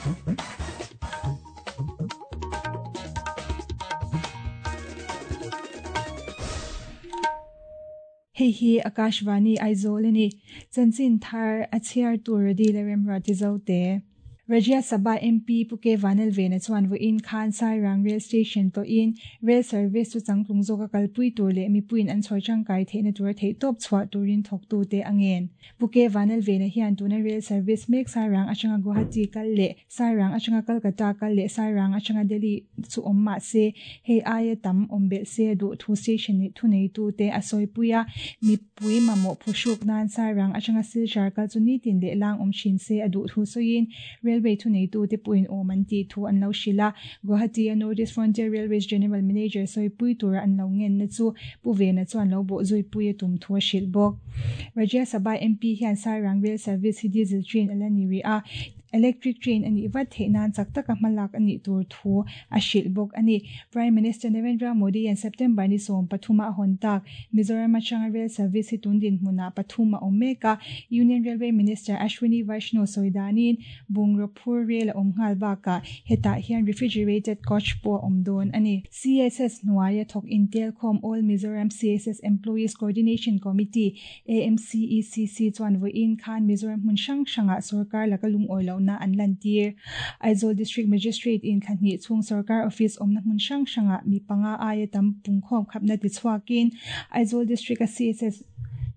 Hei hi Akashvani Aizawl a ni. Chanchin thar a chhiar tur Radi leh Remruati Zote. Rajya Sabha MP Pu K Vanelvena chuan vawiin khan Sairang Rail Station tawhin Rail service chu changtlung zawka kalpui tur leh mipuiin an chhawi tangkai theihna tura theihtawp chhuah turin thawktute a ngen. Pu K Vanelvena hian tuna rail service mek Sairang atanga Guwahati kal leh Sairang atanga Kolkata kal leh Sairang atanga Delhi chu awm mah se, hei aia tam awm belh se a duh thu station nih thuneitute a sawipui a, mipui mamawh phuhruk nan Sairang atanga Silchar kal chu nitin leh lang awm thin se a duh thu sawiin Railway thuneitute pawhin awm an tih thu an lo hrilh a, Guwahati-a North East Frontier Railways General Manager sawipui tura an lo ngenna chu Pu Vena chuan lo bawh zuipui a tum thu a hrilh bawk. Rajya Sabha MP hian Sairang Rail Service hi diesel train a la ni rih a, Electric train a nih vat theih nan chak taka hmalak a nih tur thu a hrilh bawk a ni. Prime Minister Narendra Modi hian September ni 13 a hawn tak. Mizoram atanga rail service hi tun dinhmunah pathum a awm mek a, Union Railway Minister Ashwini Vaishnaw sawi danin bungraw phur rail a awm nghal bakah hetah hian refrigerated coach pawh a awm dawn a ni. CSS hnuaia thawk intelkhawm All Mizoram CSS Employees Coordination Committee, AMCECC, chuan vawiin khan Mizoram hmun hrang hrangah sorkar laka lungawi lohna an lantir. Aizawl District Magistrate in thla hnih chhung sorkar office awmna hmun hrang hrangah mi panga aia tam pungkhawm khapna tichhuakin Aizawl District-a CSS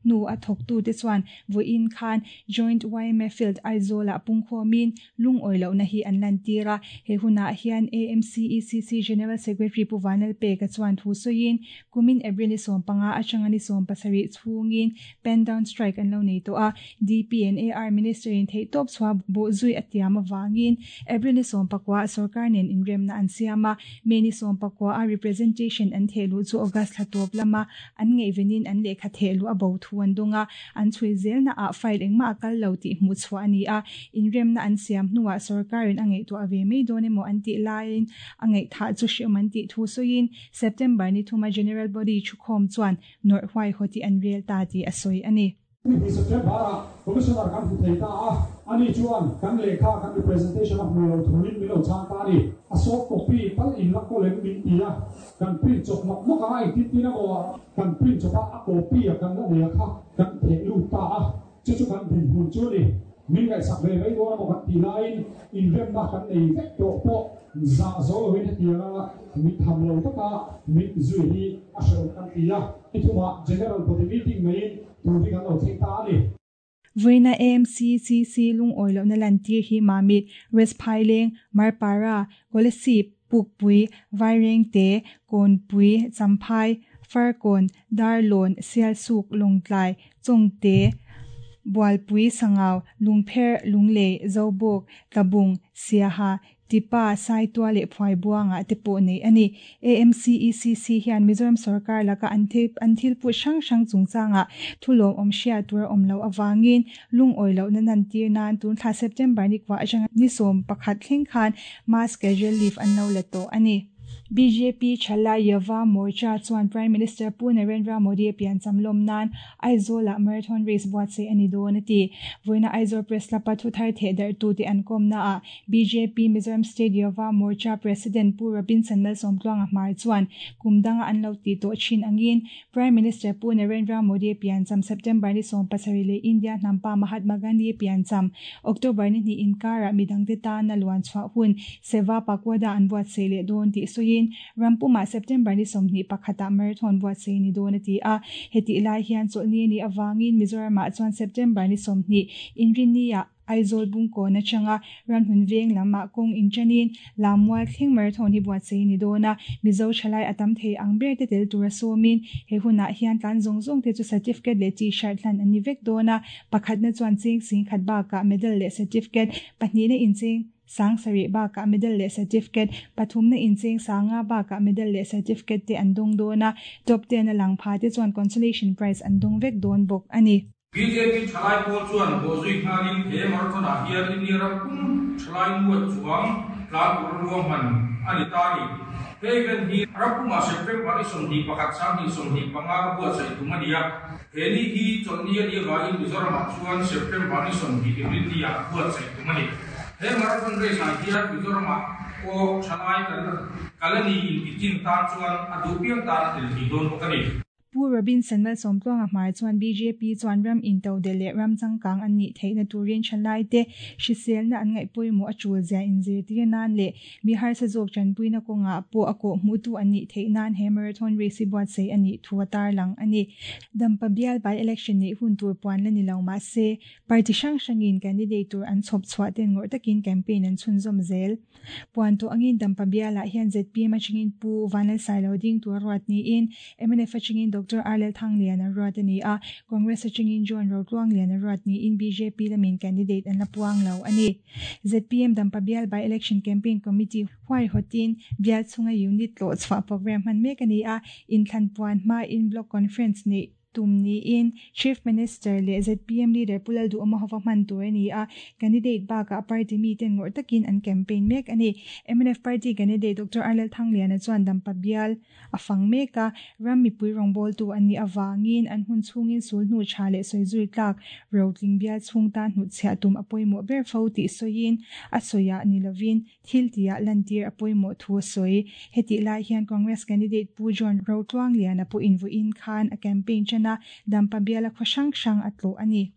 hnu a thawktute chuan vawiin khan Joint yma Field Aizawl-ah pungkhawmin Lungawi lohna hi an lantir a, he hunah hian AMCECC General Secretary Pu Vanlalpeka chuan thu sawiin, kumin April ni 15 atanga ni 17 chhungin pen down strike an lo nei tawh a, DP and AR Minister in theihtawp chhuah bawhzui a tiam avangin April ni 19 ah sorkar nen inremna an siam a, May ni 19 a representation an thehluh chu August thla tawp lama an ngaihvenin an lehkha thehluh a bo thu an dawng a, An chhui zelna ah file engmah a kal lo tih hmuh chhuah a ni a, inremna an siam hnuah sorkarin a ngaihtuah ve mai dawn emaw an tih laiin a ngaihthah chu hreawm an tih thu sawiin September ni thuma General Body thukhawm chuan nawrh huaihawt hi an rel ta tih a sawi a ni. Ni September ah Commissioner kan hmu thei ta a, ani chuan kan lehkha kan representation a hmu lo thuin min lo chhang ta a ni. A soft copy tal in la kawl em min ti a, kan print chawp nawk nawk a, engtin tin emaw Kan print chawp a, a copy a kan la nei a kha kan theh lut ta a, chu chu kan dinhmun chu a ni. Min ngaihsak ve mai dawn emaw kan tih laiin inremna kan nei vek tawh pawh zah zo loin hetianga mit tham lo taka mit zui hi a hrehawm kan ti a, ni thumah General Body Meeting neiin tur hi kan lo thleng ta a ni. Vawiina AMCCC lungawi lohna lantir hi Mamit, West Phaileng, Marpara, Kolasib, Pukpui, Vairengte, Kawnpui, Champhai, Farkawn, Darlawn, Sialsuk, Lawngtlai, Chawngte, Bualpui, Sangau, Lungpher, Lunglei, Zobawk, Tlabung, Siaha, Tipa, Saitua leh Phuaibuangah te pawh neih a ni. AMCECC hian Mizoram sorkar laka an an thil put hrang hrang chungchangah thu lawmawm hriat tur a awm loh avangin lungawi lohna nantir nan tun thla September ni kua atanga ni 11 thleng khan mass casual leave an lo la tawh a ni. Bjp Thalai Yuva Morcha chuan Prime Minister Pu Narendra Modi a piancham lawm nan Aizawlah marathon race buatsaih a ni dawn a ti. Vawiina Aizawl Press Club-a thuthar thehdarh tute an kawmnaah Bjp Mizoram State Yuva Morcha President Pu Robinson Malsawmtluanga Hmar chuan kum danga an lo tih tawh thin angin Prime Minister Pu Narendra Modi piancham September ni 17 leh India hnampa Mahatma Gandhi piancham October ni hnih inkarah midangte tana luan chhuah hun Seva Pakwada an buatsaih leh dawn tih sawiin ram pumah September ni 21 ah marathon buatsaih ni dawn a ti a. Hetih lai hian chawlhni a nih avangin Mizoramah chuan September ni 20 Inrinni-ah Aizawl Bungkawn atanga Ramhlun veng lamah kawng inṭanin Lammual thleng marathon hi buatsaih ni dawn a, Mizo thalai a tam thei ang ber te tel tura sawmin he hunah hian tlan zawng zawng te chu certificate leh t-shirt hlan an ni vek dawn a, pakhatna chuan cheng sing khat bakah medal leh certificate, pahnihna incheng sang sarih bakah medal leh certificate, pathumna incheng sanga bakah medal leh certificate te an dawng dawn a, top ten a lang pha te chuan consolation prize an dawng vek dawn bawk a ni. Bjp thalai pawl chuan bawhzui nghalin he marathon-ah hian India ram pum thalai nuaih chuang tlan tur ruahman a ni ta a ni. He event hi ram pumah September ni 21 2025 a buatsaih tum a ni a. He ni hi chawlhni a nih avangin Mizoramah chuan September ni 20 Inrinni-ah buatsaih tum a ni. He marathon race ah hian Mizoramah pawh thalai kan kal a ni inti chin tan chuan a duh piang tan a tel thei dawn bawk a ni. Pu Robinson Malsawmtluanga hmar chuan bjp chuan ram intodelh leh ram changkang an nih theihna turin thalaite hriselna an ngaih pawimawh a tul zia inzirtir nan leh mi harsa zawk tanpuina kawngah pawh a kawhhmuhtu an nih theih nan he marathon race hi buatsaih a nih thu a tarlang a ni. Dampa bial by-election neih hun tur puan la ni lo mah se, Party hrang hrangin candidate tur an chhawp chhuah ten ngawrh takin campaign an chhunzawm zel. Puan tawh angin Dampa bialah hian zpm atangin Pu Vanlalsailo ding tur a ruat niin mnf atangin Doctor Arlel Thanglian a ruat a ni a, Congress atangin John Rotluanglian a ruat niin bjp lamin candidate an la puang lo a ni. Zpm Dampa bial by-election campaign committee huaihawtin bial chhunga unit tlawh chhuah programme hman mek a ni a, inthlan puan hmain block conference neih Tum niin Chief Minister leh zpm leader Pu Lalduhawma hova hman tur a ni a, candidate bakah party miten ngawrh takin an campaign mek a ni. Mnf party candidate Doctor Arlel Thangliana chuan Dampa bial a fang mek a, ram mipui rawngbawltu an nih avangin an hun chhungin sulhnu tha leh sawizui tlak rotling bial chhung tan hnutchhiah tum a pawimawh ber fo tih sawiin a sawiah ni lovin Thil tihah lantir a pawimawh thu a sawi. Hetih lai hian Congress candidate Pu John Rotluangliana pawhin vawiin khan a campaign ṭan a, Dampa biala khaw hrang hrang a tlawh a ni.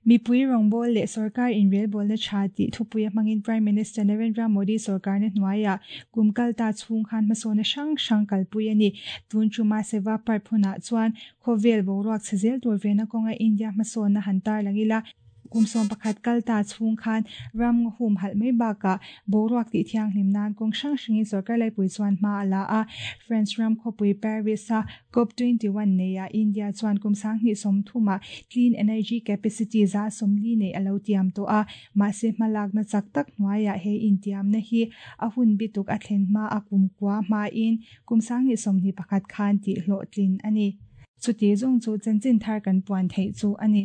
Mipui rawngbâwl leh sorkar inrelbawlna ṭha tih thupuia hmangin Prime Minister Narendra Modi sorkarna hnuaiah kum kal ta chhung khan hmasawnna hrang hrang kalpui a ni. Tun ṭuma Seva Parv hunah chuan khawvel boruak chhe zel tur vena kawnga India hmasawnna han tarlang ila, Kum 11 kal ta chhung khan ram ngaw hum halh mai bakah boruak tih thianghlim nan kawng hrang hrangin sorkar laipui chuan hma a la a. France ram khawpui Paris-a Cop 21 neiah India chuan kum 2030 ah clean energy capacity 40% neih a lo tiam tawh a. Mahse hmalakna chak tak hnuaiah he intiamna hi a hun bituk a thlen hma a kum kua hmain kum 2021 khan tih hlawhtlin a ni. Chuti zawng chu chanchin thar kan puan theih chu a ni.